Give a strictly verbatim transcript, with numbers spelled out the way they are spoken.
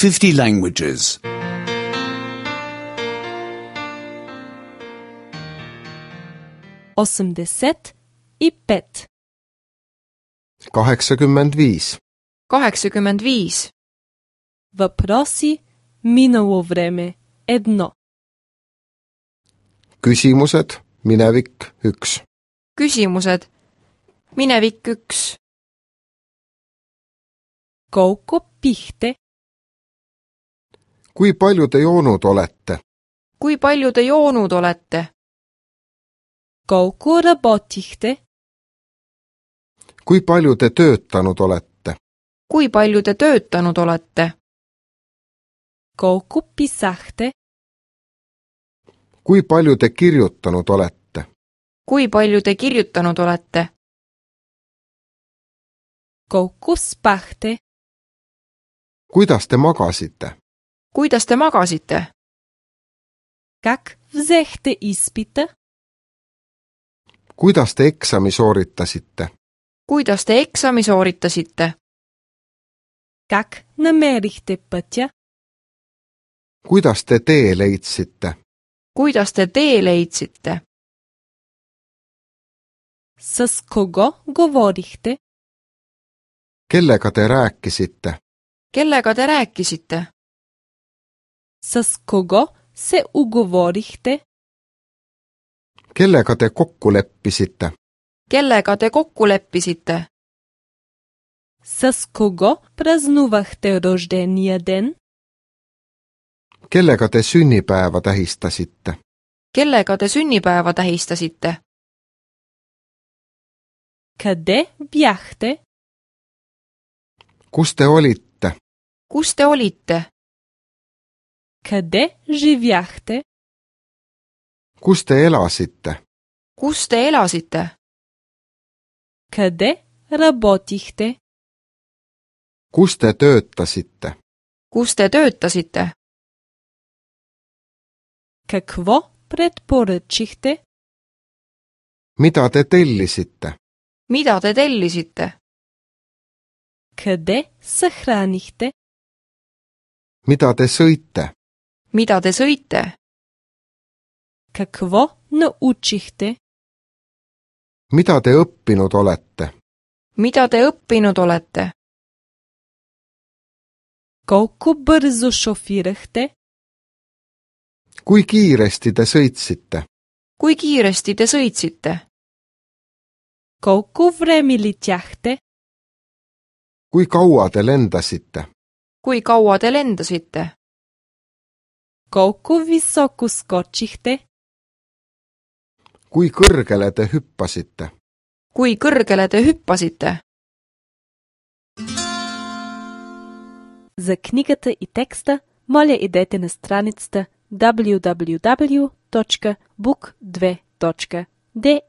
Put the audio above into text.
fifty languages. Осемдесет и пет. kaheksakümmend viis. kaheksakümmend viis. Въпроси минало време едно. Küsimused, minevik üks. Küsimused. Minevik üks. Колко пихте? Kui palju te joonud olete? Kui palju te joonud olete? Колко работихте? Kui palju te töötanud olete? Kui palju te töötanud olete? Колко писахте? Kui palju te kirjutanud olete? Kui palju te kirjutanud olete? Колко спахте? Kuidas te magasite? Kuidas te magasite? Как взехте изпита? Kuidas te eksami sooritasite? Kuidas te eksami sooritasite? Как намерихте пътя? Kuidas te tee leidsite? Kuidas te tee leidsite? С кого говорихте? Kellega te rääkisite? Kellega te rääkisite? С кого се уговорихте? Kellega te kokku leppisite? Kellega te kokku leppisite? С кого празнувахте рождения ден? Kellega te sünnipäeva tähistasite? Kellega te sünnipäeva tähistasite? Къде бяхте? Kus te olite? Kus te olite? Къде живяхте? Kus te elasite? Kus te elasite? Къде работихте? Kus te töötasite? Kus te töötasite? Какво предпоръчихте? Mida te tellisite? Mida te tellisite? Къде съхранихте? Mida te sõite? Mida te sõite? Какво научихте? Mida te õppinud olete? Mida te õppinud olete? Колко бързо шофирахте? Kui kiiresti te sõitsite? Kui kiiresti te sõitsite? Колко време летяхте? Kui kaua te lendasite? Kui kaua te lendasite? Колко високо скочихте? Kui kõrgele te hüppasite? Kui kõrgele te hüppasite? За книгата и текста, моля идете на страницата даблю даблю даблю точка бук две точка де